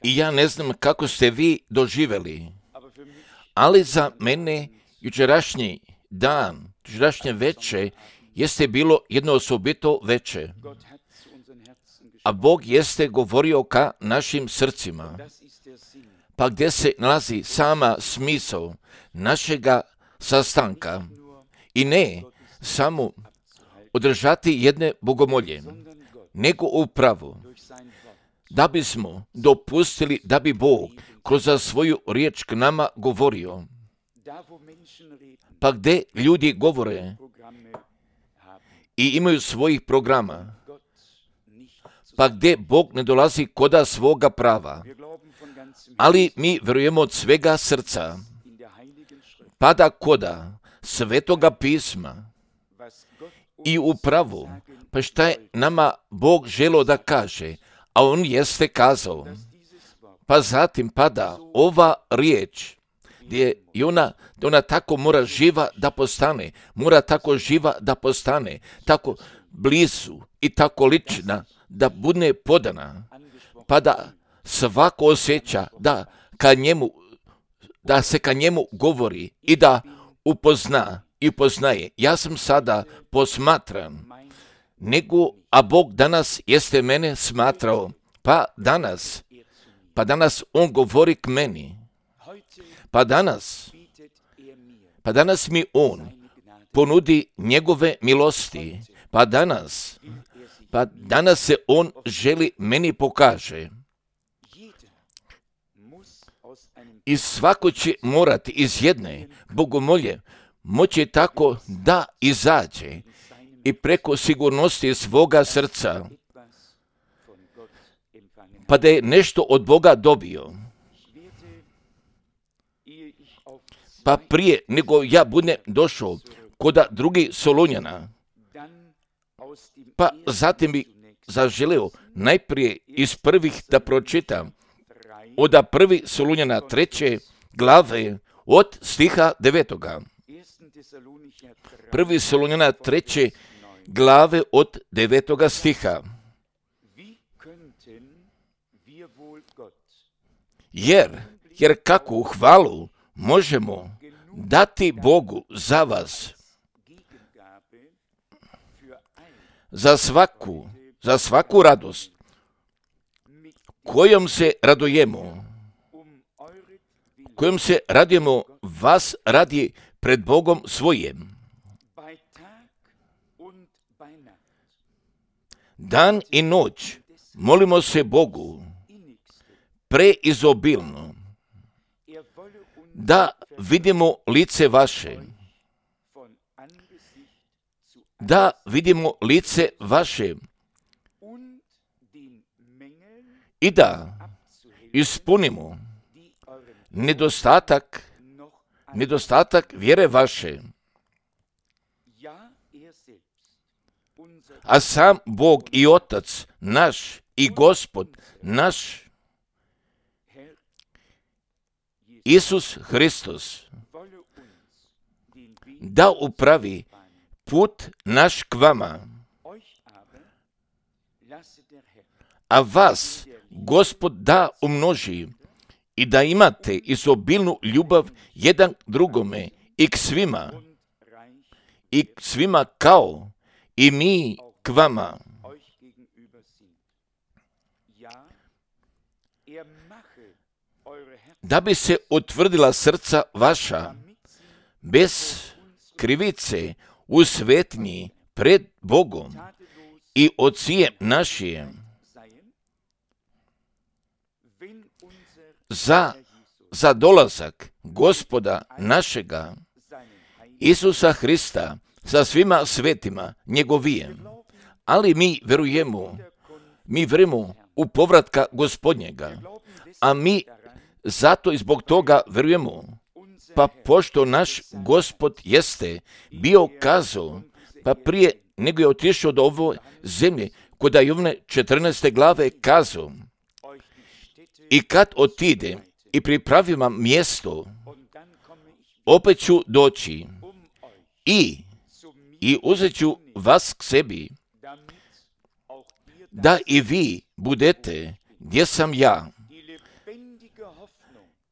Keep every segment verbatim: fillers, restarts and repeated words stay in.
I ja ne znam kako ste vi doživjeli, ali za mene jučerašnji dan, jučerašnje veče, jeste bilo jedno osobito veče. A Bog jeste govorio ka našim srcima. Pa gdje se nalazi sama smisao našega sastanka i ne samo održati jedne bogomolje, nego upravo da bismo dopustili da bi Bog kroz svoju riječ k nama govorio. Pa gdje ljudi govore i imaju svojih programa, pa gdje Bog ne dolazi koda svoga prava, ali mi vjerujemo od svega srca, pa da koda svetoga pisma i upravo, pa šta je nama Bog želo da kaže, a On jeste kazao, pa zatim pada ova riječ, gdje je ona, da ona tako mora živa da postane, mora tako živa da postane, tako blizu i tako lična da bude podana, pa da svako osjeća da, ka njemu, da se ka njemu govori i da upozna i poznaje. Ja sam sada posmatran, nego, a Bog danas jeste mene smatrao, pa danas, pa danas On govori k meni, pa danas, pa danas mi On ponudi njegove milosti, pa danas, pa danas se On želi meni pokaže. I svako će morati iz jedne bogomolje moći tako da izađe i preko sigurnosti svoga srca, pa da je nešto od Boga dobio. Pa prije nego ja budem došao koda drugih Solunjana, pa zatim bi zaželeo najprije iz prvih da pročitam od prvi Solunjana treće glave od stiha devetoga. Prvi Solunjana treće glave od devetoga stiha. Jer, jer kakvu hvalu možemo dati Bogu za vas, za svaku, za svaku radost kojom se radujemo, kojom se radujemo vas radi pred Bogom svojim. Dan i noć molimo se Bogu preizobilno da vidimo lice vaše, da vidimo lice vaše i da ispunimo nedostatak, nedostatak vjere vaše. A sam Bog i Otac naš i Gospod naš, Isus Hristos, da upravi put naš k vama, a vas Gospod da umnoži i da imate izobilnu ljubav jedan drugome i k svima, i k svima kao i mi k vama. Da bi se utvrdila srca vaša bez krivice u svetnji pred Bogom i Ocijem našijem, za, za dolazak Gospoda našega Isusa Hrista sa svima svetima njegovijem. Ali mi verujemo, mi verujemo u povratka Gospodnjega, a mi zato i zbog toga verujemo, pa pošto naš Gospod jeste bio kazao, pa prije nego je otišao do ove zemlje, kod Jovne četrnaeste glave kazao, i kad otide i pripravi vam mjesto, opet ću doći i, i uzet ću vas k sebi, da i vi budete gdje sam ja.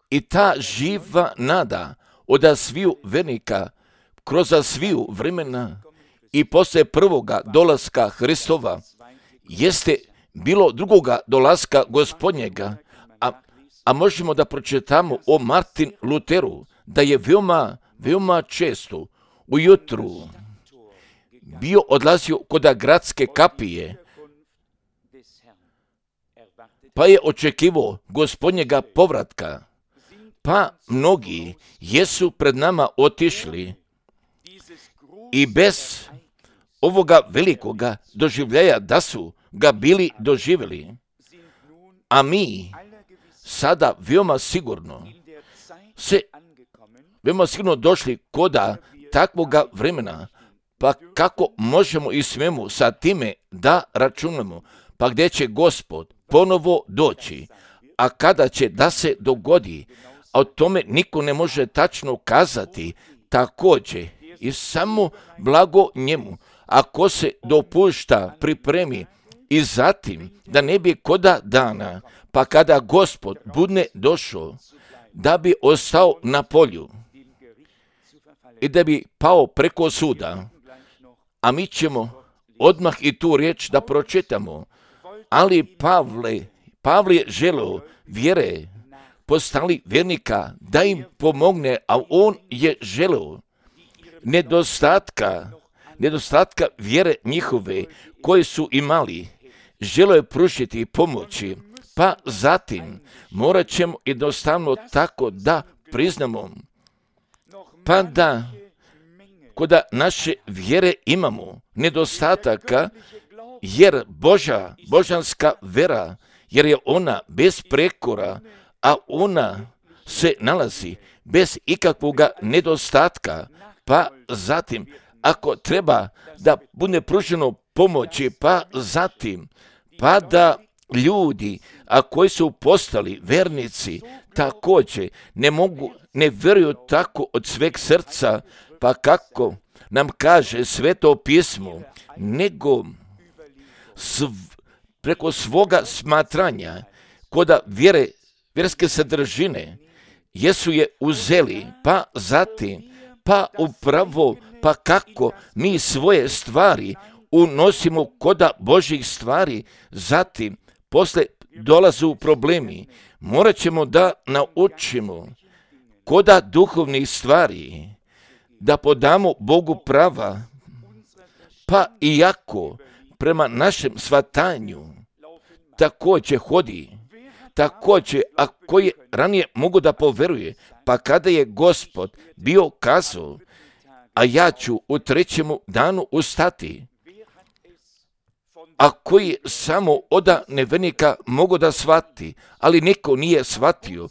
I ta živa nada od sviju vernika kroz sviju vremena i poslije prvoga dolaska Hristova jeste bilo drugoga dolaska Gospodnjega, a, a možemo da pročitamo o Martin Luteru, da je veoma, veoma često ujutru bio odlazio kod gradske kapije, pa je očekivao Gospodnjega povratka. Pa mnogi jesu pred nama otišli i bez ovoga velikoga doživljaja da su ga bili doživjeli. A mi sada veoma sigurno se veoma sigurno došli koda takvoga vremena, pa kako možemo i smemo sa time da računamo, pa gdje će Gospod ponovo doći, a kada će da se dogodi, a o tome niko ne može tačno kazati, također i samo blago njemu, ako se dopušta pripremi i zatim da ne bi koda dana, pa kada Gospod bude došao, da bi ostao na polju i da bi pao preko suda, a mi ćemo odmah i tu riječ da pročitamo. Ali Pavle, Pavle je želeo vjere postali vjernika da im pomogne, a on je želeo nedostatka, nedostatka vjere njihove koje su imali, želeo je pružiti pomoći, pa zatim morat ćemo jednostavno tako da priznamo, pa da koda naše vjere imamo nedostataka, jer Božja, božanska vera, jer je ona bez prekora, a ona se nalazi bez ikakvog nedostatka, pa zatim ako treba da bude pruženo pomoći, pa zatim pa da ljudi, a koji su postali vernici, također ne mogu, ne vjeruju tako od sveg srca, pa kako nam kaže Sveto pismo, nego sv, preko svoga smatranja, koda vjere, vjerske sadržine, jesu je uzeli, pa zatim, pa upravo, pa kako mi svoje stvari unosimo koda Božjih stvari, zatim, posle dolazu problemi, morat ćemo da naučimo koda duhovnih stvari, da podamo Bogu prava, pa iako prema našem shvatanju također hodi, također ako je ranije mogu da poveruje, pa kada je Gospod bio kazao, a ja ću u trećemu danu ustati, a koji samo oda nevernika mogu da shvati, ali niko nije shvatio.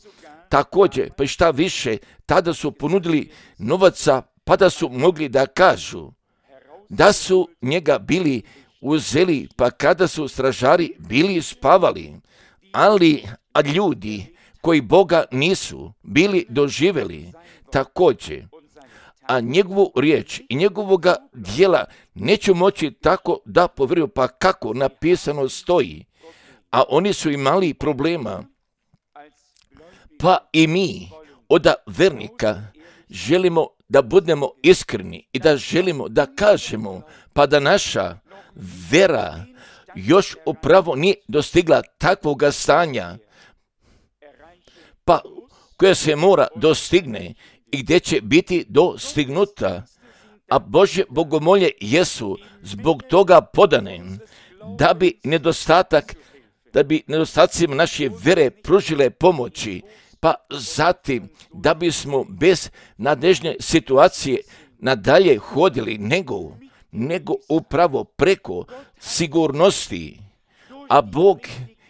Također, pa šta više, tada su ponudili novaca, pa da su mogli da kažu da su njega bili uzeli, pa kada su stražari bili spavali, ali a ljudi koji Boga nisu bili doživjeli također, a njegovu riječ i njegovoga dijela neću moći tako da povjeruju, pa kako napisano stoji, a oni su imali problema. Pa i mi od vernika želimo da budemo iskreni i da želimo da kažemo, pa da naša vera još upravo nije dostigla takvoga stanja, pa koja se mora dostigne i gdje će biti dostignuta, a Božje bogomolje jesu zbog toga podane, da bi nedostatak, da bi nedostacima naše vere pružile pomoći, pa zatim da bismo bez nadležne situacije nadalje hodili, nego, nego upravo preko sigurnosti, a Bog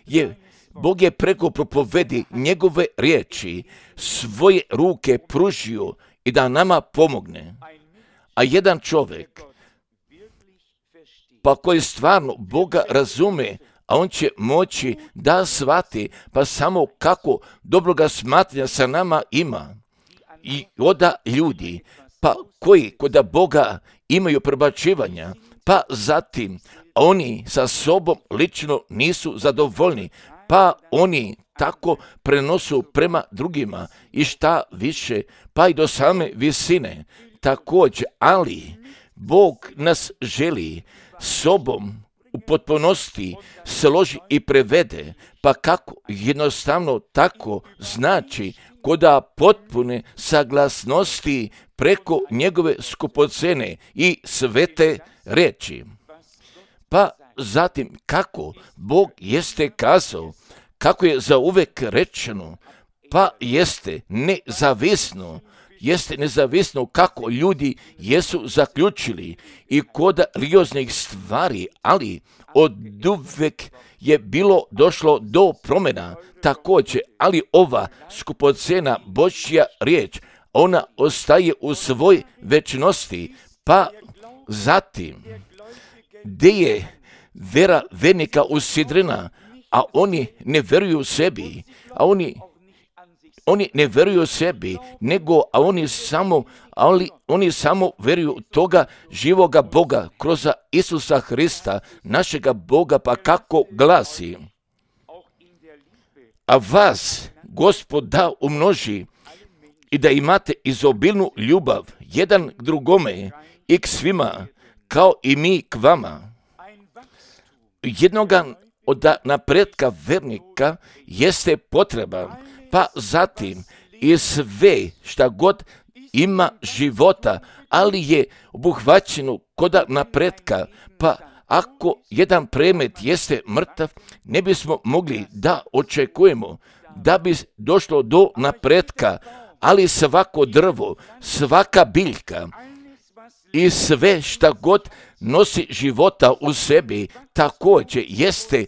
je Bog je preko propovedi njegove riječi svoje ruke pružio i da nama pomogne. A jedan čovjek, pa koji stvarno Boga razume, a on će moći da shvati, pa samo kako dobroga smatranja sa nama ima. I oda ljudi, pa koji kod Boga imaju prebačivanja, pa zatim, oni sa sobom lično nisu zadovoljni, pa oni tako prenosu prema drugima i šta više, pa i do same visine. Također, ali Bog nas želi sobom u potpunosti složi i prevede, pa kako jednostavno tako znači koda potpune saglasnosti preko njegove skupocene i svete reči. Pa zatim kako Bog jeste kazao, kako je zauvek rečeno, pa jeste nezavisno, jeste nezavisno kako ljudi jesu zaključili i kod religioznih stvari, ali od uvek je bilo došlo do promjena također, ali ova skupocena Božja riječ, ona ostaje u svoj večnosti, pa zatim gdje je vera vernika usidrena, a oni ne vjeruju sebi, a oni Oni ne vjeruju sebi, nego a oni samo, ali oni samo vjeruju toga živoga Boga kroz Isusa Hrista, našega Boga, pa kako glasi. A vas Gospod da umnoži i da imate izobilnu ljubav jedan k drugome i k svima, kao i mi k vama. Jednoga od napretka vernika jeste potreba, pa zatim i sve šta god ima života, ali je obuhvaćeno koda napretka, pa ako jedan predmet jeste mrtav, ne bismo mogli da očekujemo da bi došlo do napretka, ali svako drvo, svaka biljka i sve šta god nosi života u sebi, također jeste,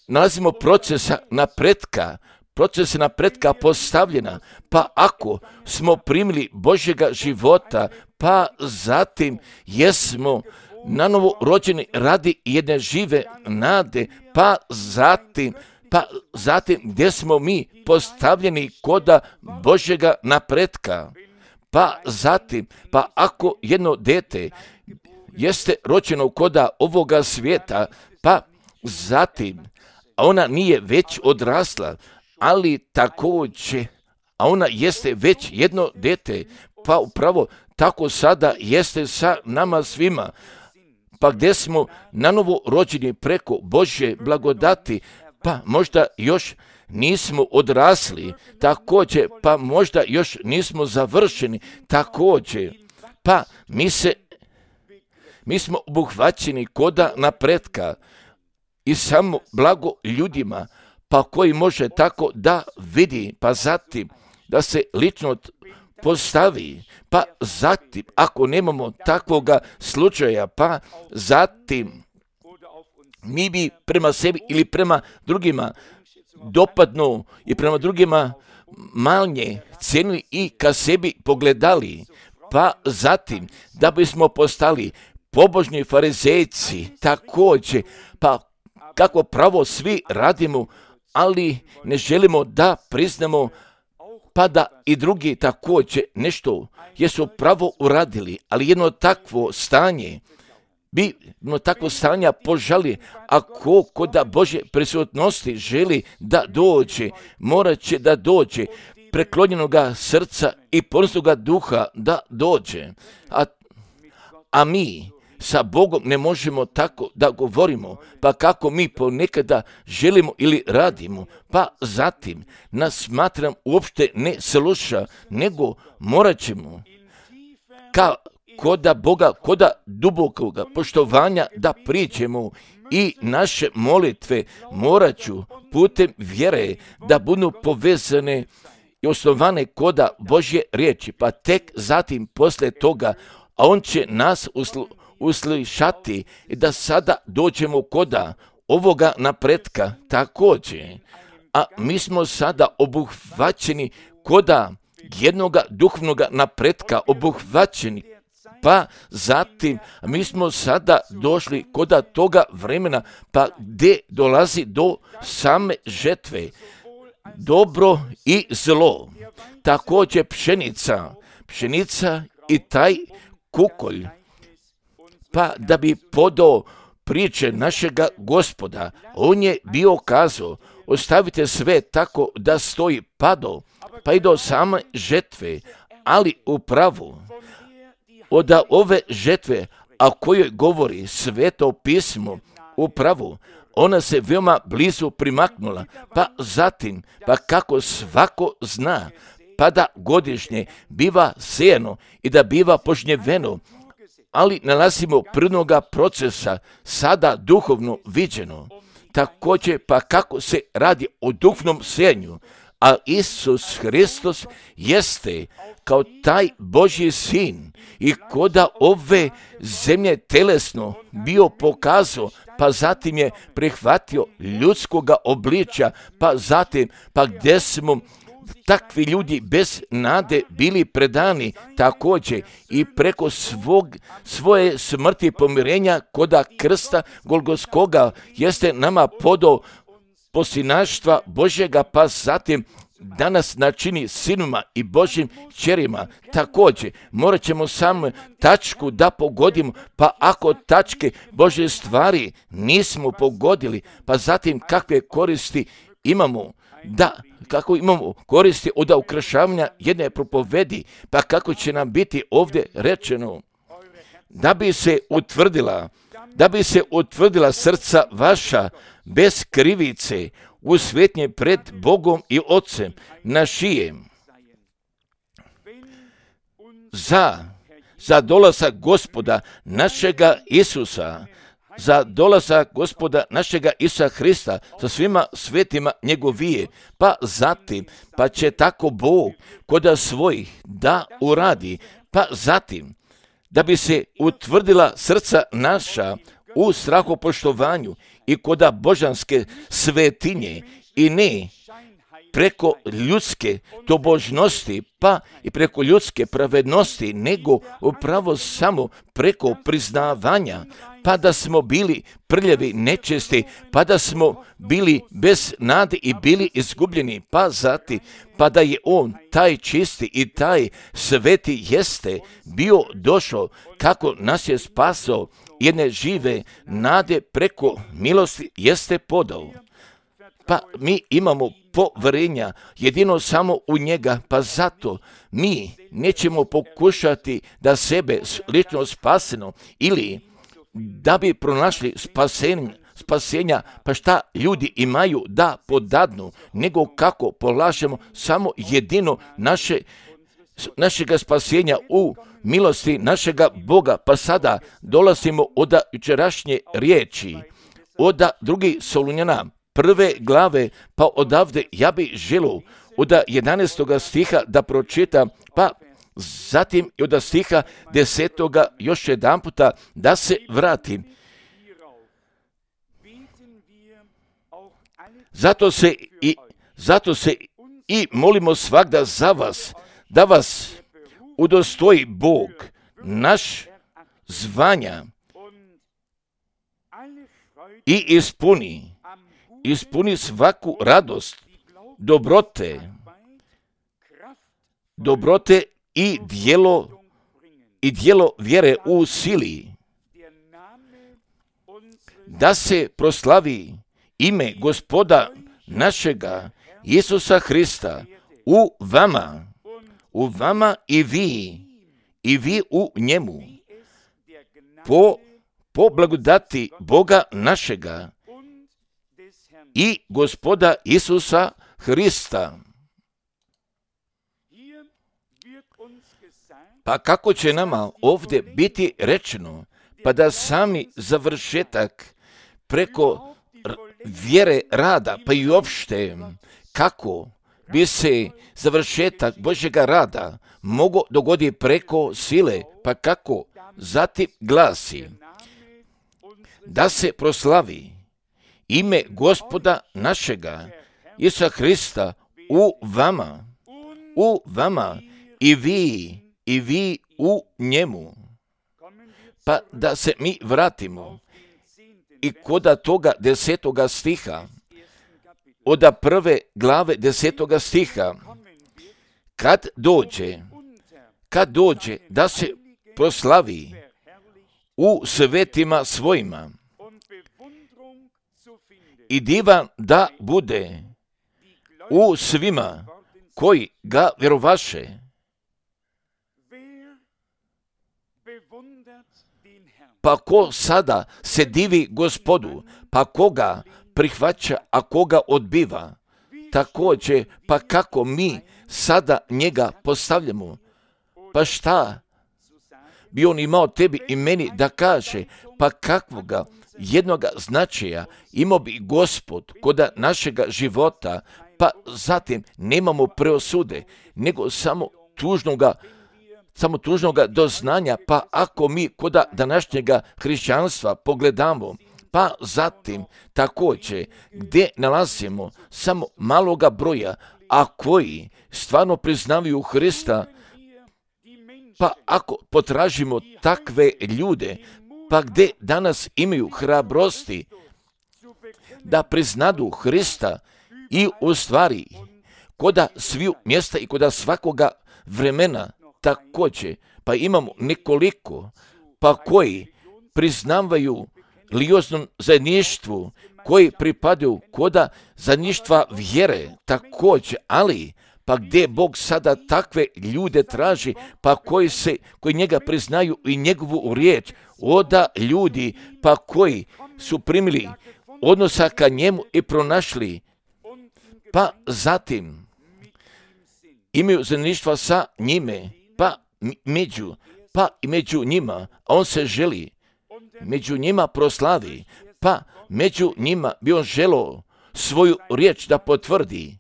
nalazimo procesa napretka, proces napretka postavljena, pa ako smo primili Božjega života, pa zatim jesmo nanovo rođeni radi jedne žive nade, pa zatim, pa zatim gdje smo mi postavljeni koda Božjega napretka, pa zatim, pa ako jedno dete jeste rođeno koda ovoga svijeta, pa zatim, a ona nije već odrasla, ali također, a ona jeste već jedno dete, pa upravo tako sada jeste sa nama svima, pa gdje smo nanovo rođeni preko Božje blagodati, pa možda još nismo odrasli, također, pa možda još nismo završeni, također, pa mi se, mi smo obuhvaćeni koda napretka i samo blago ljudima, pa koji može tako da vidi, pa zatim da se lično postavi, pa zatim ako nemamo takvoga slučaja, pa zatim mi bi prema sebi ili prema drugima dopadno i prema drugima manje cenili i ka sebi pogledali, pa zatim da bismo postali pobožni farizejci također, pa kako pravo svi radimo, ali ne želimo da priznamo, pa da i drugi također nešto jesu pravo uradili, ali jedno takvo stanje, bi jedno takvo stanja požali, ako kod Božje prisutnosti želi da dođe, morat će da dođe, preklonjenoga srca i ponosnoga duha da dođe, a, a mi sa Bogom ne možemo tako da govorimo, pa kako mi ponekada želimo ili radimo, pa zatim nas smatram uopšte ne sluša, nego morat ćemo ka koda Boga, koda dubokoga poštovanja da priđemo i naše molitve morat ću putem vjere da budu povezane i osnovane koda Božje riječi, pa tek zatim posle toga, a on će nas uslu uslišati i da sada dođemo koda ovoga napretka također, a mi smo sada obuhvaćeni koda jednoga duhovnoga napretka, obuhvaćeni, pa zatim mi smo sada došli koda toga vremena, pa gdje dolazi do same žetve, dobro i zlo, također pšenica, pšenica i taj kukolj, pa da bi podao priče našega Gospoda. On je bio kazao, ostavite sve tako da stoji pado, pa i do same žetve, ali upravo od ove žetve, a kojoj govori Sveto pismo, upravo ona se veoma blizu primaknula, pa zatim, pa kako svako zna, pa da godišnje biva sejano i da biva požnjeveno, ali nalazimo prvnoga procesa, sada duhovno viđeno. Također, pa kako se radi o duhovnom sejanju, a Isus Hristos jeste kao taj Božji sin i koda ove zemlje telesno bio pokazao, pa zatim je prihvatio ljudskoga obličja, pa zatim, pa gdje smo takvi ljudi bez nade bili predani također i preko svog, svoje smrti pomirenja koda krsta Golgotskoga jeste nama podao posinaštva Božjega, pa zatim danas načini sinuma i Božjim kćerima. Također, morat ćemo samo tačku da pogodimo, pa ako tačke Božje stvari nismo pogodili, pa zatim kakve koristi imamo, da, kako imamo koristi od ukrašavanja jedne propovedi, pa kako će nam biti ovdje rečeno, da bi se utvrdila, da bi se utvrdila srca vaša bez krivice, u svetnje pred Bogom i Otcem našijem. Za, za dolazak Gospoda našega Isusa, za dolazak Gospoda našega Isusa Hrista sa svima svetima njegovije, pa zatim, pa će tako Bog koda svojih da uradi, pa zatim, da bi se utvrdila srca naša u strahopoštovanju i koda božanske svetinje i ne preko ljudske tobožnosti, pa i preko ljudske pravednosti, nego upravo samo preko priznavanja, pa da smo bili prljavi, nečesti, pa da smo bili bez nade i bili izgubljeni, pa zati, pa da je on taj čisti i taj sveti jeste bio došao kako nas je spasao jedne žive nade preko milosti jeste podao. Pa mi imamo poverenja jedino samo u njega, pa zato mi nećemo pokušati da sebe lično spaseno ili da bi pronašli spasenja, spasenja, pa šta ljudi imaju da podadnu, nego kako polažemo samo jedino naše, našega spasenja u milosti našega Boga. Pa sada dolazimo od jučerašnje riječi, od drugi Solunjana, prve glave, pa odavde ja bi želio od jedanaestoga stiha da pročitam, pa zatim i od stiha desetoga još jedan puta da se vratim. Zato se i, zato se i molimo svagda za vas, da vas udostoji Bog, naš zvanja i ispuni, ispuni svaku radost, dobrote, dobrote i dijelo, i dijelo vjere u sili, da se proslavi ime Gospoda našega Isusa Hrista u vama, u vama i vi, i vi u njemu, po, po blagodati Boga našega i Gospoda Isusa Hrista. Pa kako će nama ovdje biti rečeno, pa da sami završetak preko vjere rada, pa i uopšte kako bi se završetak Božjega rada mogao dogoditi preko sile, pa kako zatim glasi, da se proslavi ime Gospoda našega Isusa Hrista u vama, u vama i vi, i vi u njemu. Pa da se mi vratimo i koda toga desetoga stiha, od prve glave desetoga stiha, kad dođe, kad dođe da se proslavi u svetima svojima i divan da bude u svima koji ga vjerovaše. Pa ko sada se divi Gospodu, pa koga prihvaća, a koga odbiva? Također, pa kako mi sada njega postavljamo? Pa šta bi on imao tebi i meni da kaže? Pa kakvoga jednoga značaja imao bi Gospod kod našega života? Pa zatim nemamo preosude, nego samo tužnoga samo tužnoga doznanja, pa ako mi kod današnjega hrišćanstva pogledamo, pa zatim također gdje nalazimo samo maloga broja, a koji stvarno priznavaju Hrista, pa ako potražimo takve ljude, pa gdje danas imaju hrabrosti da priznadu Hrista i u stvari koda sviju mjesta i koda svakoga vremena, također, pa imamo nekoliko, pa koji priznavaju lioznom zajedništvu, koji pripadaju koda zajedništva vjere, također, ali pa gdje Bog sada takve ljude traži, pa koji se, koji njega priznaju i njegovu riječ, oda ljudi, pa koji su primili odnosa ka njemu i pronašli, pa zatim imaju zajedništva sa njime, pa među, pa i među njima, a on se želi među njima proslavi, pa među njima bi on želio svoju riječ da potvrdi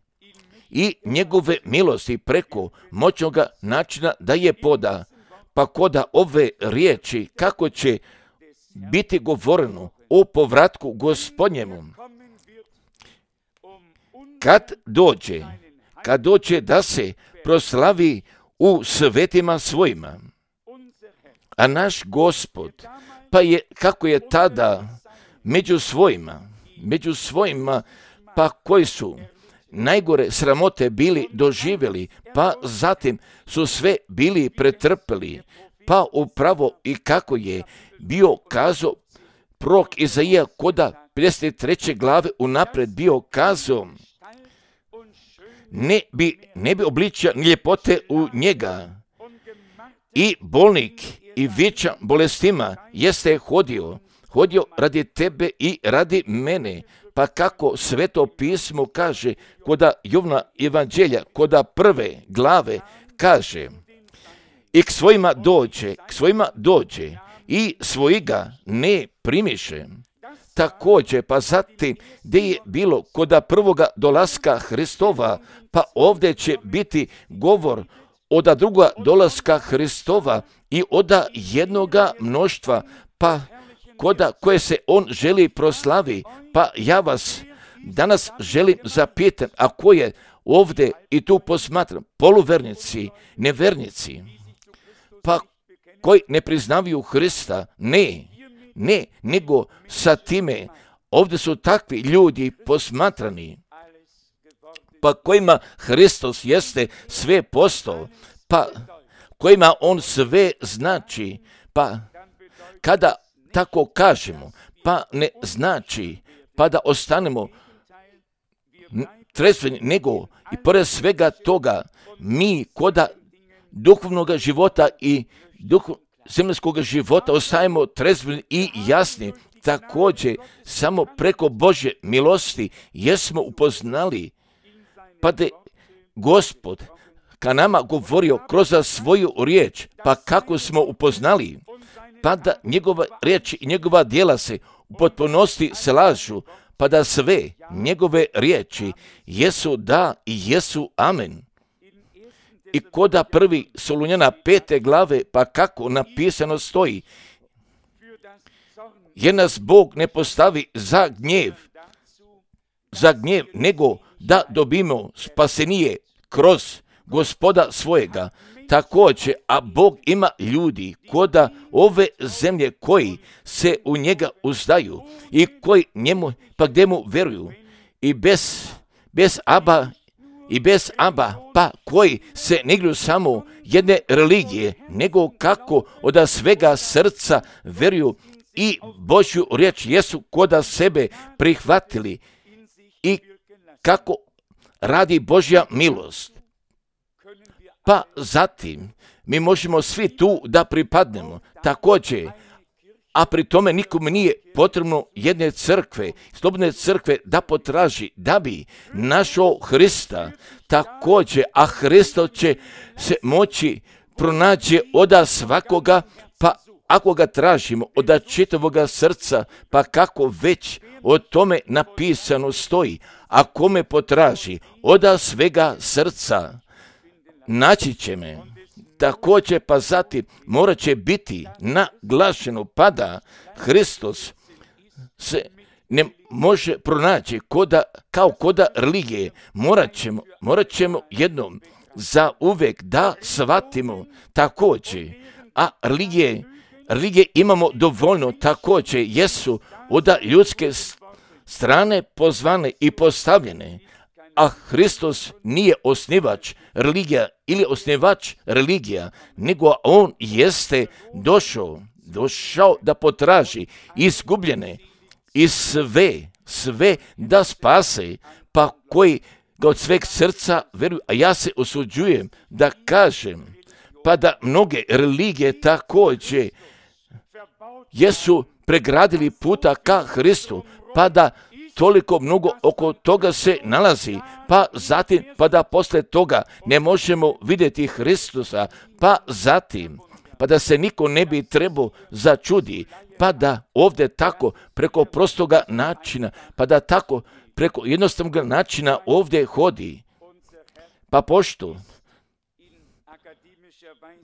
i njegove milosti preko moćnoga načina da je poda, pa koda ove riječi kako će biti govoreno o povratku Gospodnjemu. Kad dođe, kad dođe da se proslavi u svetima svojima, a naš Gospod, pa je, kako je tada među svojima, među svojima, pa koji su najgore sramote bili doživjeli, pa zatim su sve bili pretrpeli, pa upravo i kako je bio kazao prorok Izaija koda pedeset treće glave unaprijed bio kazao, ne bi, ne bi obličio ni ljepote u njega. I bolnik i vičan bolestima jeste hodio, hodio radi tebe i radi mene. Pa kako Sveto pismo kaže, koda Jovna evanđelja, koda prve glave kaže, i k svojima dođe, k svojima dođe i svojiga ne primiše. Također, pa zatim gdje je bilo koda prvoga dolaska Hristova, pa ovdje će biti govor oda druga dolaska Hristova i oda jednoga mnoštva, pa koda koje se on želi proslavi. Pa ja vas danas želim zapitati, a ko je ovdje i tu posmatram, poluvernici, nevernici, pa koji ne priznavaju Hrista, ne, ne, nego sa time, ovdje su takvi ljudi posmatrani, pa kojima Hristos jeste sve postao, pa kojima on sve znači, pa kada tako kažemo, pa ne znači, pa da ostanemo trezveni, nego i pored svega toga, mi koda duhovnog života i duh zemljskog života ostajemo trezveni i jasni. Također, samo preko Božje milosti jesmo upoznali, pa da Gospod ka nama govorio kroz svoju riječ, pa kako smo upoznali, pa da njegova riječ i njegova djela se u potpunosti slažu, pa da sve njegove riječi jesu da i jesu amen. I koda prvi Solunjana pete glave, pa kako napisano stoji, jer nas Bog ne postavi za gnjev, za gnjev, nego da dobimo spasenije kroz Gospoda svojega. Također, a Bog ima ljudi koda ove zemlje koji se u njega uzdaju i koji njemu, pa gdje mu veruju i bez, bez aba i bez aba, pa koji se ne igraju samo jedne religije, nego kako od svega srca veruju i Božju riječ jesu koda sebe prihvatili i kako radi Božja milost. Pa zatim mi možemo svi tu da pripadnemo također, a pri tome nikome nije potrebno jedne crkve, slobodne crkve da potraži da bi našao Hrista također, a Hristo će se moći pronaći oda svakoga, pa ako ga tražimo od čitavoga srca, pa kako već o tome napisano stoji, a kome potraži oda svega srca, naći će me. Također pa zatim morat će biti naglašeno pa da Hristos se ne može pronaći koda, kao koda religije. Morat ćemo, morat ćemo jednom za uvijek da shvatimo također, a religije, religije imamo dovoljno također, jesu od ljudske strane pozvane i postavljene, a Hristos nije osnivač religija ili osnivač religija, nego on jeste došao, došao da potraži izgubljene i sve, sve da spase, pa koji ga od sveg srca veruju, a ja se usuđujem da kažem, pa da mnoge religije također jesu pregradili puta ka Hristu, pa da toliko mnogo oko toga se nalazi, pa zatim, pa da posle toga ne možemo vidjeti Hristusa, pa zatim, pa da se niko ne bi trebao začudi, pa da ovdje tako preko prostoga načina, pa da tako preko jednostavnog načina ovdje hodi. Pa pošto,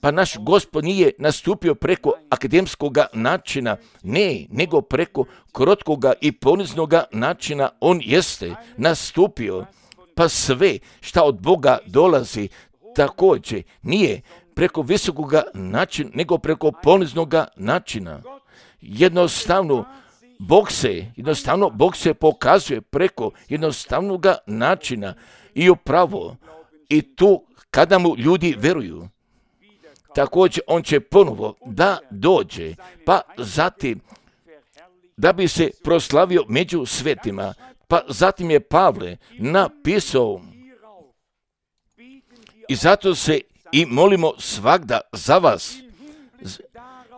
pa naš Gospod nije nastupio preko akademskog načina, ne, nego preko krotkoga i poniznoga načina on jeste nastupio. Pa sve šta od Boga dolazi također nije preko visokoga načina, nego preko poniznoga načina. Jednostavno, Bog se, jednostavno Bog se pokazuje preko jednostavnog načina i upravo i tu kada mu ljudi veruju. Također on će ponovo da dođe, pa zatim da bi se proslavio među svetima. Pa zatim je Pavle napisao i zato se i molimo svagda za vas.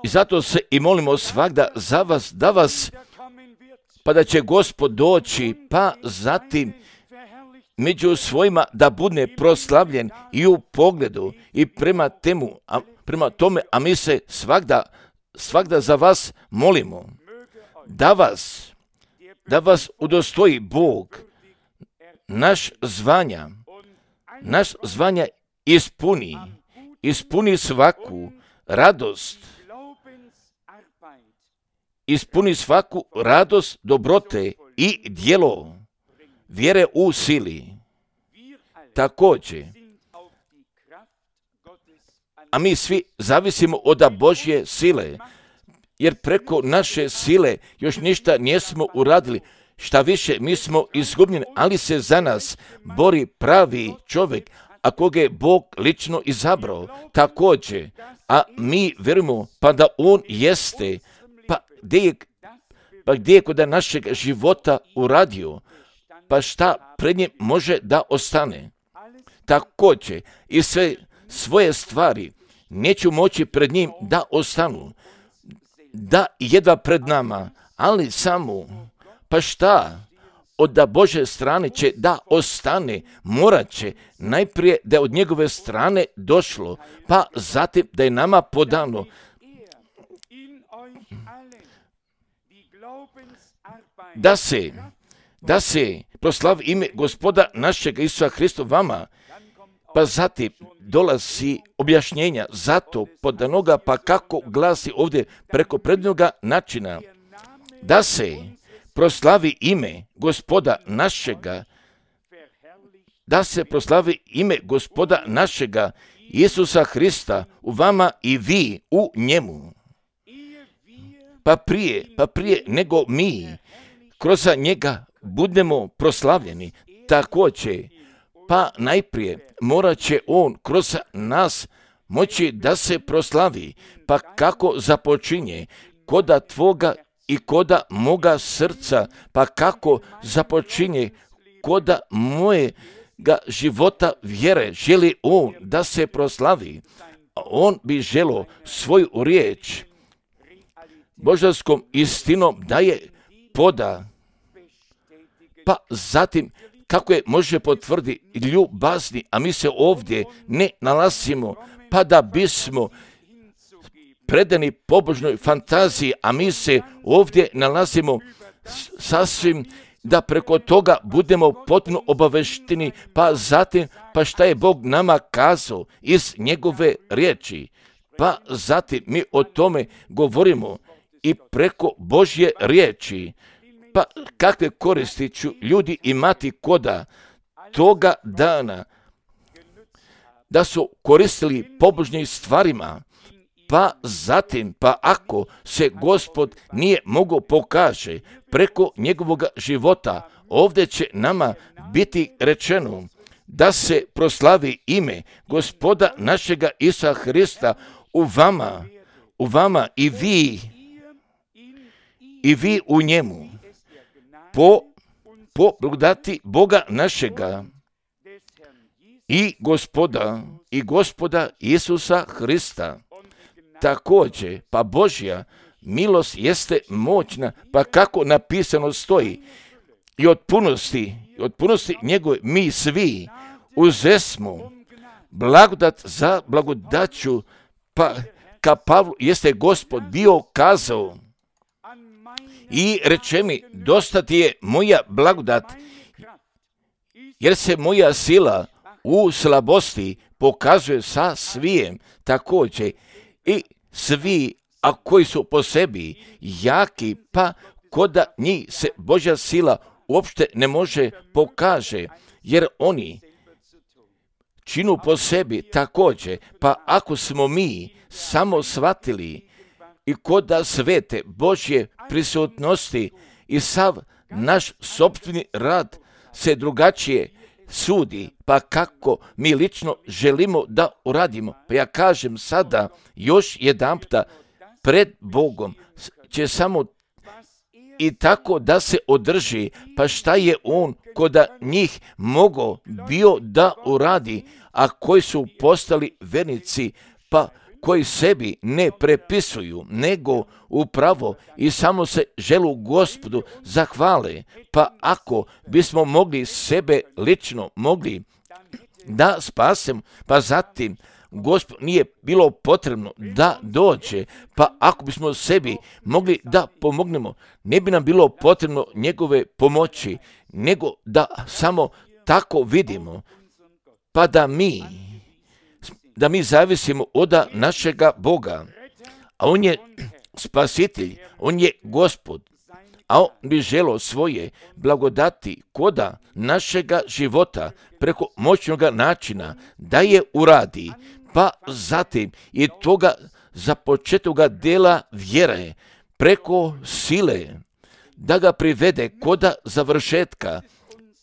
I zato se i molimo svagda za vas, da vas, pa da će Gospod doći, pa zatim među svojima da bude proslavljen i u pogledu i prema temu, a, prema tome, a mi se svagda, svagda za vas molimo, da vas, da vas udostoji Bog, naš zvanja, naš zvanja ispuni, ispuni svaku radost, ispuni svaku radost dobrote i djelo vjere u sili. Također, a mi svi zavisimo od Božje sile, jer preko naše sile još ništa nismo uradili. Šta više, mi smo izgubljeni, ali se za nas bori pravi čovjek, a koga je Bog lično izabrao. Također, a mi vjerujemo pa da on jeste, pa gdje je, pa gdje je kod našeg života uradio, pa šta pred njim može da ostane. Također, i sve svoje stvari neću moći pred njim da ostanu, da jedva pred nama, ali samo, pa šta, od Bože strane će da ostane, morat će najprije da je od njegove strane došlo, pa zatim da je nama podano. Da se, da se proslavi ime Gospoda našeg Isusa Hrista vama, pa zatim dolazi objašnjenja zato podanoga, pa kako glasi ovdje preko prednoga načina, da se proslavi ime Gospoda našega, da se proslavi ime Gospoda našega Isusa Hrista u vama i vi u njemu. Pa prije, pa prije nego mi kroz njega budemo proslavljeni, također, pa najprije morat će on kroz nas moći da se proslavi, pa kako započinje koda tvoga i koda moga srca, pa kako započinje koda mojega života vjere, želi on da se proslavi. On bi želio svoju riječ božanskom istinom da je poda, pa zatim kako je može potvrditi ljubazni, a mi se ovdje ne nalazimo, pa da bismo predani pobožnoj fantaziji, a mi se ovdje nalazimo sasvim da preko toga budemo potpuno obavešteni, pa zatim, pa šta je Bog nama kazao iz njegove riječi, pa zatim mi o tome govorimo i preko Božje riječi, pa kakve koristi ću ljudi imati koda toga dana da su koristili pobožnim stvarima, pa zatim, pa ako se Gospod nije mogao pokaže preko njegovog života, ovdje će nama biti rečeno da se proslavi ime Gospoda našega Isusa Hrista u vama, u vama i vi, i vi u njemu, po, po blagodati Boga našega i Gospoda, i Gospoda Isusa Hrista. Također, pa Božja milost jeste moćna, pa kako napisano stoji, i od punosti, od punosti njegove mi svi uzesmo blagodat za blagodaću, pa ka Pavlu jeste Gospod bio kazao i reče mi, dosta ti je moja blagodat, jer se moja sila u slabosti pokazuje sa svijem. Također i svi, a koji su po sebi jaki, pa koda njih se Božja sila uopšte ne može pokaže, jer oni činu po sebi također, pa ako smo mi samo shvatili i koda svete Božje prisutnosti i sav naš sopstveni rad se drugačije sudi, pa kako mi lično želimo da uradimo. Pa ja kažem sada još jedanputa, pred Bogom će samo i tako da se održi, pa šta je on koda njih mogao bio da uradi, a koji su postali vernici, pa koji sebi ne prepisuju, nego upravo i samo se želu Gospodu zahvale, pa ako bismo mogli sebe lično mogli da spasem, pa zatim Gospod nije bilo potrebno da dođe, pa ako bismo sebi mogli da pomognemo, ne bi nam bilo potrebno njegove pomoći, nego da samo tako vidimo, pa da mi da mi zavisimo od našega Boga, a on je spasitelj, on je Gospod, a on bi želio svoje blagodati koda našega života preko moćnog načina da je uradi, pa zatim i toga započetoga dela vjere preko sile da ga privede koda završetka,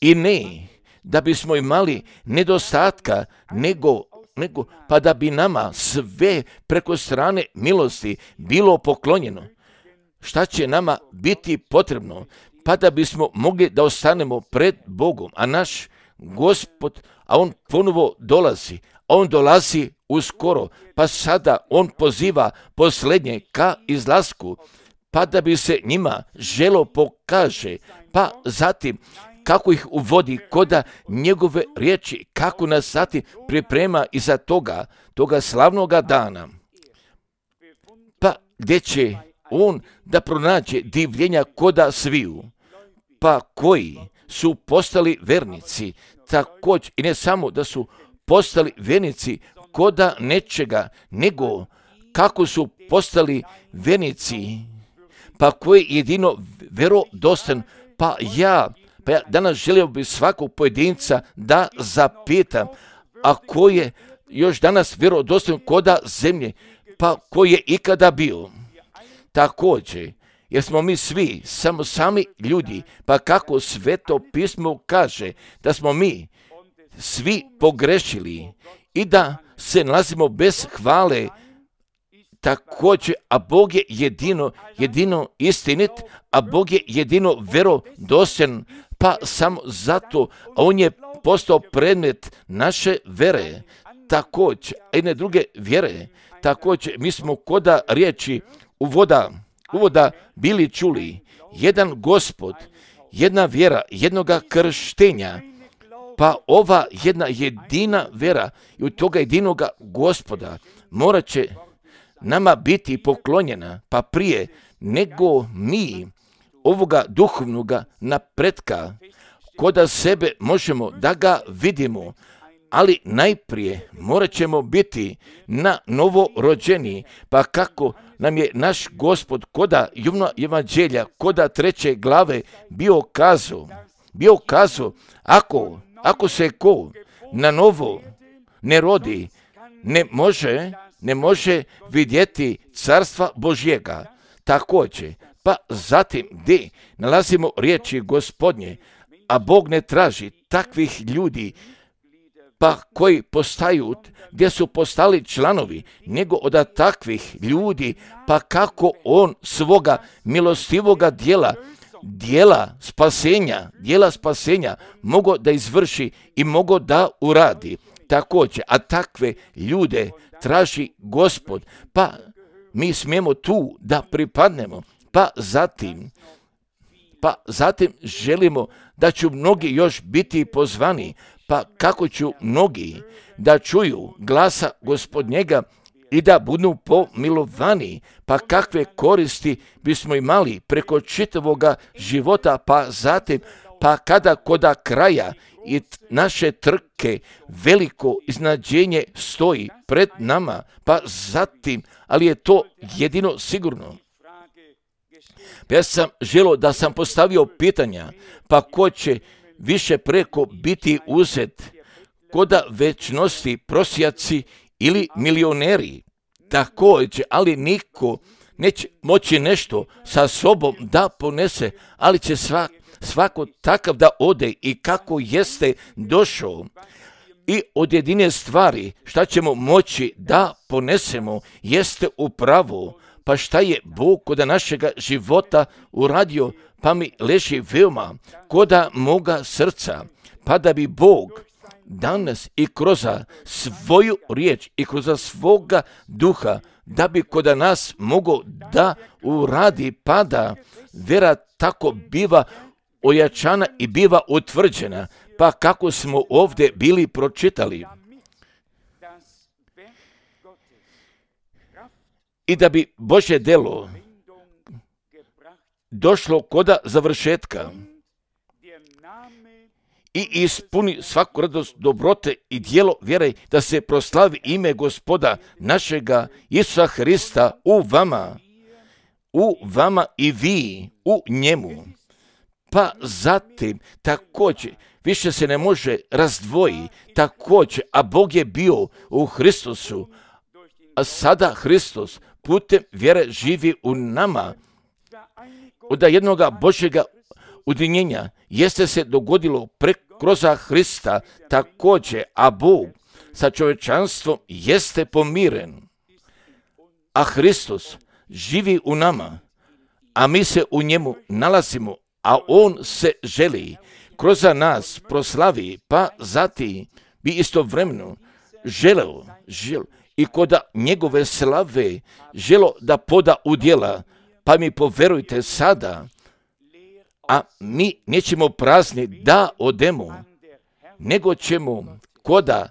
i ne da bismo imali nedostatka, nego nego pa da bi nama sve preko strane milosti bilo poklonjeno. Šta će nama biti potrebno? Pa da bismo mogli da ostanemo pred Bogom, a naš Gospod, a on ponovo dolazi, a on dolazi uskoro, pa sada on poziva posljednje ka izlasku, pa da bi se njima želo pokaže, pa zatim kako ih uvodi koda njegove riječi, kako nas zatim priprema iza toga, toga slavnoga dana, pa gdje će on da pronađe divljenja koda sviju, pa koji su postali vernici, također i ne samo da su postali vernici koda nečega, nego kako su postali vernici, pa koji jedino vjerodostan, pa ja Pa ja danas želio bi svakog pojedinca da zapitam, a ko je još danas vjerodostojan koda zemlje, pa ko je ikada bio. Također, jer smo mi svi samo sami ljudi, pa kako Sveto pismo kaže da smo mi svi pogrešili i da se nalazimo bez hvale također, a Bog je jedino, jedino istinit, a Bog je jedino vjerodostojan, pa samo zato, a On je postao predmet naše vere, također, a i ne druge vjere, također, mi smo koda riječi uvoda, uvoda bili čuli, jedan Gospod, jedna vjera, jednoga krštenja, pa ova jedna jedina vjera i od toga jedinoga Gospoda morat će nama biti poklonjena, pa prije nego mi ovoga duhovnoga napretka koda sebe možemo da ga vidimo, ali najprije morat ćemo biti na novo rođeni, pa kako nam je naš Gospod koda Jovna evanđelja, koda treće glave bio kazao, bio kazao, ako, ako se ko na novo ne rodi, ne može, ne može vidjeti carstva Božjega. Također, pa zatim gdje nalazimo riječi Gospodnje, a Bog ne traži takvih ljudi, pa koji postaju, gdje su postali članovi, nego od takvih ljudi, pa kako On svoga milostivoga dijela, dijela spasenja, dijela spasenja mogo da izvrši i mogo da uradi. Također, a takve ljude traži Gospod, pa mi smijemo tu da pripadnemo, pa zatim, pa zatim želimo da će mnogi još biti pozvani, pa kako ću mnogi da čuju glasa Gospodnjega i da budu pomilovani, pa kakve koristi bismo imali preko čitavoga života, pa zatim, pa kada koda kraja i naše trke veliko iznadženje stoji pred nama, pa zatim, ali je to jedino sigurno. Pa ja sam želio da sam postavio pitanja, pa ko će više preko biti uzet, koda večnosti prosjaci ili milioneri, također, ali niko neće moći nešto sa sobom da ponese, ali će svak, svako takav da ode i kako jeste došao. I od jedine stvari šta ćemo moći da ponesemo jeste upravo, pa šta je Bog koda našega života uradio, pa mi leži veoma koda moga srca, pa da bi Bog danas i kroz svoju riječ i kroz svoga duha, da bi koda nas mogo da uradi, pa da vera tako biva ojačana i biva utvrđena, pa kako smo ovdje bili pročitali. I da bi Božje delo došlo koda završetka i ispuni svaku radost dobrote i dijelo vjere, da se proslavi ime Gospoda našega Isusa Hrista u vama, u vama i vi u njemu. Pa zatim također više se ne može razdvoji, također, a Bog je bio u Hristusu, a sada Hristos putem vjere živi u nama. Od jednoga Božjega ujedinjenja jeste se dogodilo kroz Hrista također, a Bog sa čovječanstvom jeste pomiren. A Hristos živi u nama, a mi se u njemu nalazimo, a On se želi kroz nas proslavi, pa zatim bi istovremeno želeo, žel, i koda njegove slave želo da poda u djela, pa mi poverujte sada, a mi nećemo prazni da odemo, nego ćemo koda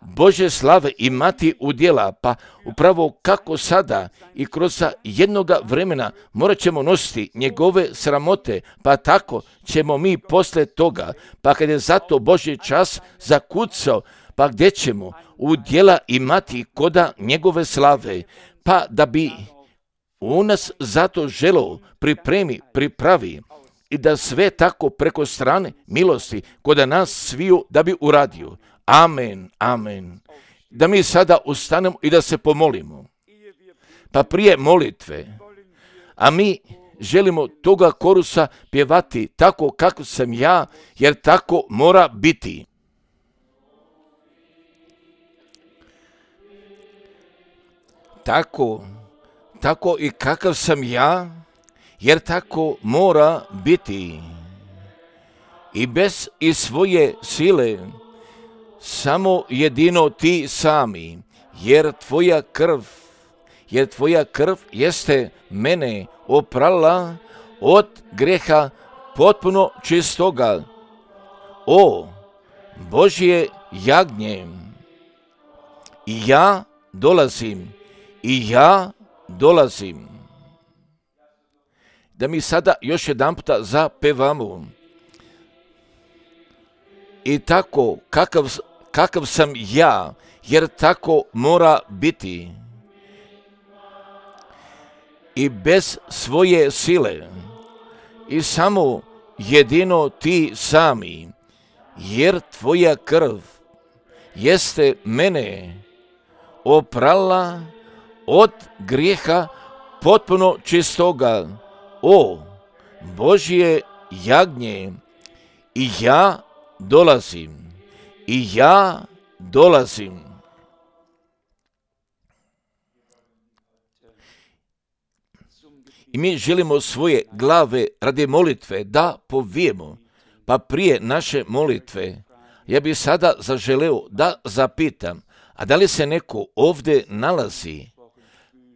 Božje slave imati u djela, pa upravo kako sada i kroz jednoga vremena morat ćemo nositi njegove sramote, pa tako ćemo mi posle toga, pa kad je zato Božji čas zakucao, pa gdje ćemo u djela imati koda njegove slave, pa da bi u nas zato želo pripremi, pripravi i da sve tako preko strane milosti koda nas sviju da bi uradio. Amen, amen. Da mi sada ustanemo i da se pomolimo. Pa prije molitve, a mi želimo toga korusa pjevati tako kako sam ja, jer tako mora biti. Tako tako i kakav sam ja, jer tako mora biti. I bez i svoje sile, samo jedino ti sami, jer tvoja krv, jer tvoja krv jeste mene oprala od greha potpuno čistoga. O Božje jagnje, i ja dolazim, i ja dolazim. Da mi sada još jedan puta zapevamo. I tako kakav, kakav sam ja, jer tako mora biti. I bez svoje sile, i samo jedino ti sami, jer tvoja krv jeste mene oprala od grijeha potpuno čistoga. O Božje jagnje, i ja dolazim, i ja dolazim. I mi želimo svoje glave radi molitve da povijemo, pa prije naše molitve ja bih sada zaželeo da zapitam, a da li se neko ovdje nalazi,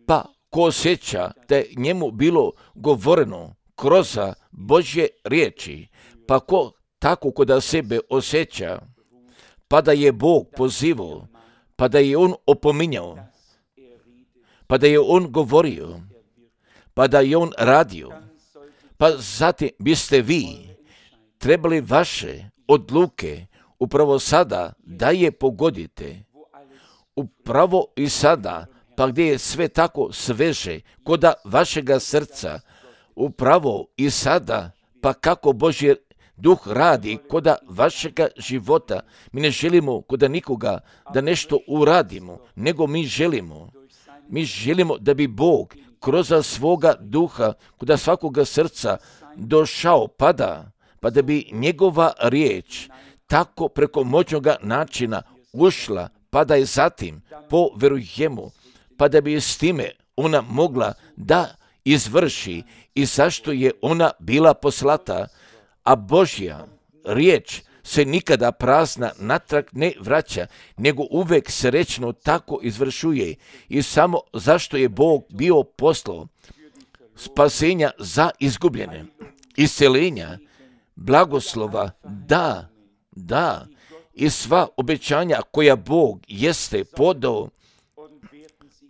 pa ko osjeća da je njemu bilo govoreno kroz Božje riječi, pa ko tako kod sebe osjeća, pa da je Bog pozivao, pa da je On opominjao, pa da je On govorio, pa da je On radio, pa zatim biste vi trebali vaše odluke upravo sada da je pogodite, upravo i sada, pa gdje je sve tako sveže koda vašega srca, upravo i sada, pa kako Božji Duh radi koda vašega života. Mi ne želimo koda nikoga da nešto uradimo, nego mi želimo. Mi želimo da bi Bog kroz svoga duha koda svakoga srca došao, pada, pa da bi njegova riječ tako preko moćnoga načina ušla, pa da je zatim poverujemo, pa da bi s time ona mogla da izvrši i zašto je ona bila poslata, a Božja riječ se nikada prazna natrag ne vraća, nego uvek srećno tako izvršuje i samo zašto je Bog bio poslao spasenja za izgubljene, isceljenja, blagoslova, da, da, i sva obećanja koja Bog jeste podao,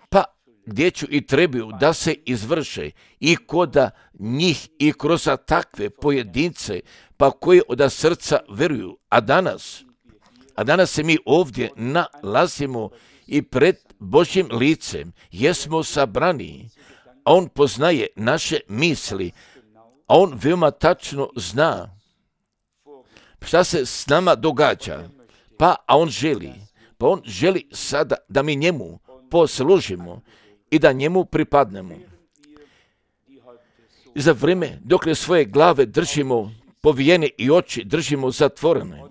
pa gdje ću i trebaju da se izvrše i koda njih i kroz takve pojedince, pa koji od srca veruju. A danas, a danas se mi ovdje nalazimo i pred Božjim licem, jesmo sabrani, a On poznaje naše misli, a On veoma tačno zna šta se s nama događa, pa a On želi, pa On želi sada da mi njemu poslužimo i da njemu pripadnemo. I za vrijeme dok svoje glave držimo povijene i oči držimo zatvorene,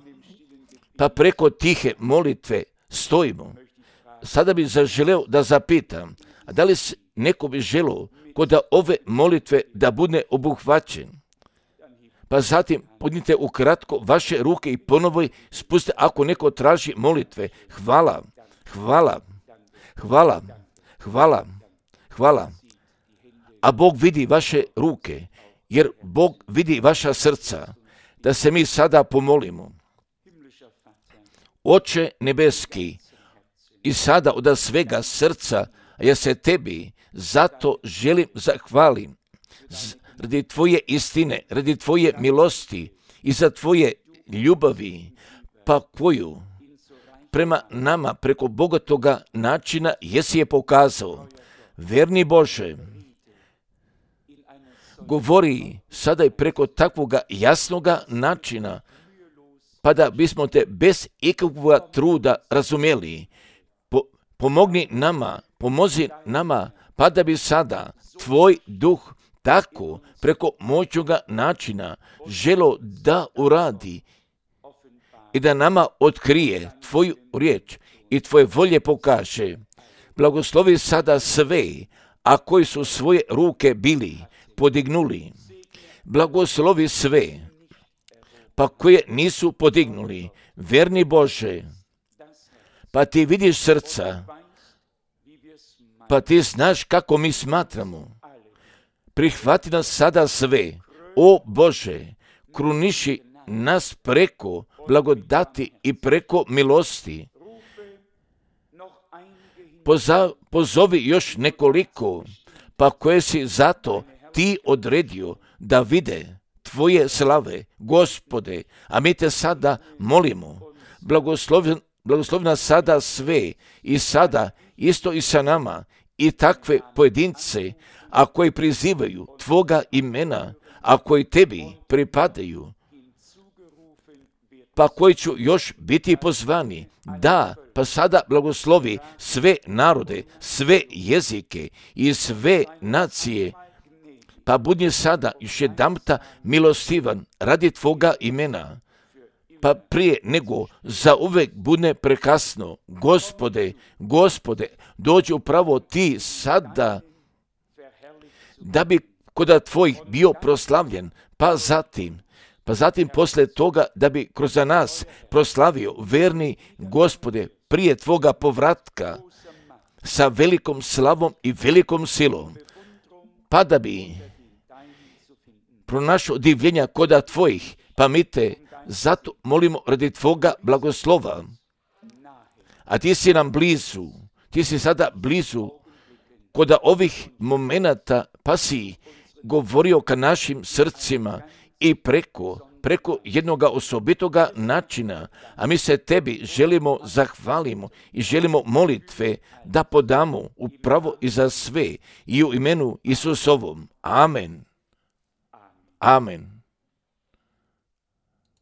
pa preko tihe molitve stojimo. Sada bih zaželeo da zapitam, a da li neko bi želeo kod ove molitve da bude obuhvaćen? Pa zatim podnite ukratko vaše ruke i ponovo spustite ako neko traži molitve. Hvala, hvala, hvala, hvala, hvala. A Bog vidi vaše ruke, jer Bog vidi vaša srca, da se mi sada pomolimo. Oče nebeski, i sada od svega srca, ja se tebi zato želim zahvalim, radi tvoje istine, radi tvoje milosti i za tvoje ljubavi, pa koju prema nama preko bogatoga načina jesi je pokazao. Verni Bože, govori sada i preko takvoga jasnoga načina, pa da bismo te bez ikakvog truda razumjeli. Po, pomogni nama, pomozi nama, pa da bi sada tvoj duh tako preko moćnoga načina želo da uradi i da nama otkrije tvoju riječ i tvoje volje pokaže. Blagoslovi sada sve, a koji su svoje ruke bili podignuli. Blagoslovi sve, pa koje nisu podignuli. Verni Bože, pa ti vidiš srca, pa ti znaš kako mi smatramo. Prihvati nas sada sve, o Bože, kruniši nas preko blagodati i preko milosti. Poza, pozovi još nekoliko, pa koje si zato ti odredio da vide tvoje slave, Gospode, a mi te sada molimo, blagoslovi, blagoslovi nas sada sve i sada isto i sa nama i takve pojedince, a koji prizivaju tvoga imena, a koji tebi pripadaju, pa koji ću još biti pozvani. Da, pa sada blagoslovi sve narode, sve jezike i sve nacije, pa budi sada još jedanputa milostivan radi tvoga imena, pa prije nego za uvek bude prekasno. Gospode, Gospode, dođi upravo ti sada, da bi kod tvojih bio proslavljen, pa zatim, pa zatim posle toga da bi kroz nas proslavio, verni Gospode, prije tvoga povratka sa velikom slavom i velikom silom, pa da bi pronašao divljenja koda tvojih, pa mi te zato molimo radi tvoga blagoslova. A ti si nam blizu, ti si sada blizu koda ovih momenata, pa si govorio ka našim srcima i preko, preko jednoga osobitoga načina, a mi se tebi želimo zahvalimo i želimo molitve da podamo upravo i za sve i u imenu Isusovom. Amen. Amen.